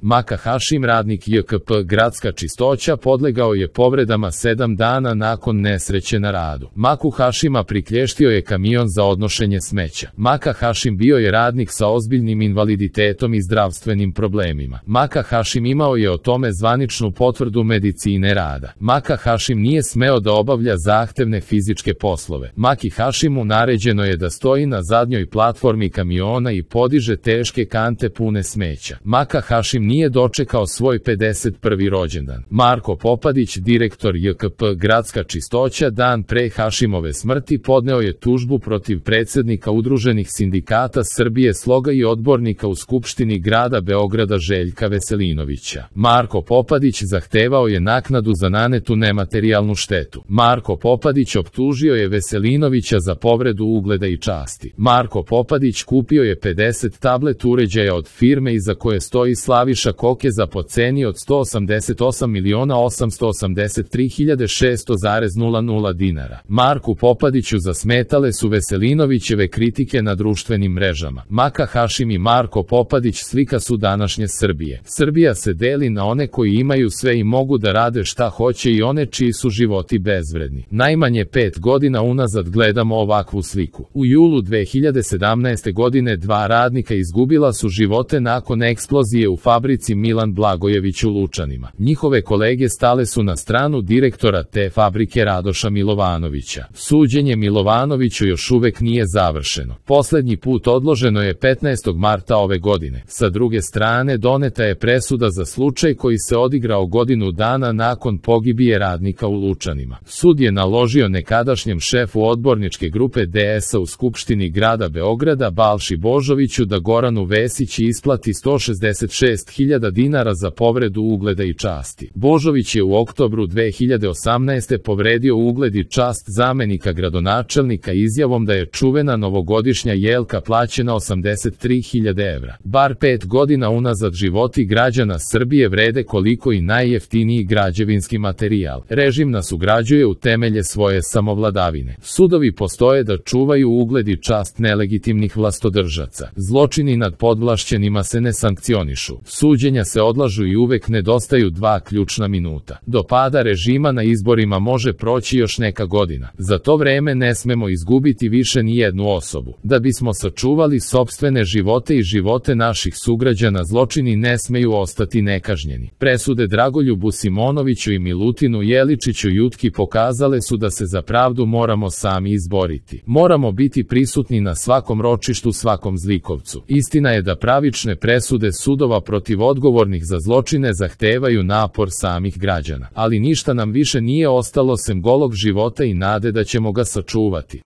Maka Hašim, radnik JKP Gradska čistoća, podlegao je povredama 7 dana nakon nesreće na radu. Maku Hašima priklještio je kamion za odnošenje smeća. Maka Hašim bio je radnik sa ozbiljnim invaliditetom i zdravstvenim problemima. Maka Hašim imao je o tome zvaničnu potvrdu medicine rada. Maka Hašim nije smeo da obavlja zahtevne fizičke poslove. Maki Hašimu naređeno je da stoji na zadnjoj platformi kamiona i podiže teške kante pune smeća. Maka Hašim nije dočekao svoj 51. rođendan. Marko Popadić, direktor JKP Gradska čistoća, dan pre Hašimove smrti podneo je tužbu protiv predsjednika Udruženih sindikata Srbije Sloga i odbornika u Skupštini grada Beograda Željka Veselinovića. Marko Popadić zahtevao je naknadu za nanetu nematerijalnu štetu. Marko Popadić optužio je Veselinovića za povredu ugleda i časti. Marko Popadić kupio je 50 tablet uređaja od firme iza koje stoji Slaviša Kokeza po ceni od 188.883.600,00 dinara. Marku Popadiću zasmetale su Veselinovićeve kritike na društvenim mrežama. Maka Hašim i Marko Popadić slika su današnje Srbije. Srbija se deli na one koji imaju sve i mogu da rade šta hoće i one čiji su životi bezvredni. Najmanje 5 godina unazad gledamo ovakvu sliku. U julu 2017. godine 2 radnika izgubila su živote nakon eksplozije u fabrici Milan Blagojević u Lučanima. Njihove kolege stale su na stranu direktora te fabrike Radoša Milovanovića. Suđenje Milovanoviću još uvek nije završeno. Poslednji put odloženo je 15. marta ove godine. Sa druge strane, doneta je presuda za slučaj koji se odigrao godinu dana nakon pogibije radnika u Lučanima. Sud je naložio nekadašnjem šefu odborničke grupe DS-a u Skupštini grada Beograda Balši Božoviću da Goranu Vesić isplati 166.000 dinara za povredu ugleda i časti. Božović je u oktobru 2018. povredio ugled i čast zamenika gradonačelnika izjavom da je čuvena novogodišnja jelka plaćena 83.000 evra. Bar 5 godina unazad životi građana Srbije vrede koliko i najjeftiniji građevinski materijal. Režim nas ugrađuje u temelje svoje samovladavine. Sudovi postoje da čuvaju ugled i čast nelegitimnih vlastodržaca. Zločini nad podvlašćenima se ne sankcionišu. Suđenja se odlažu i uvek nedostaju 2 ključna minuta. Do pada režima na izborima može proći još neka godina. Za to vreme ne smemo izgubiti više ni jednu osobu. Da bismo sačuvali sopstvene živote i živote naših sugrađana, zločini ne smeju ostati nekažnjeni. Presude Dragoljubu Simonoviću i Milutinu Jeličiću Jutki pokazale su da se za pravdu moramo sami izboriti. Moramo biti prisutni na svakom ročištu, svakom zlikovcu. Istina je da pravične presude sudova protiv odgovornih za zločine zahtevaju napor samih građana. Ali ništa nam više nije ostalo sem golog života i nade da ćemo ga sačuvati.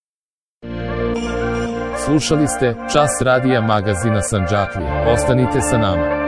Slušali ste Čas radija magazina Sandžaklija. Ostanite sa nama.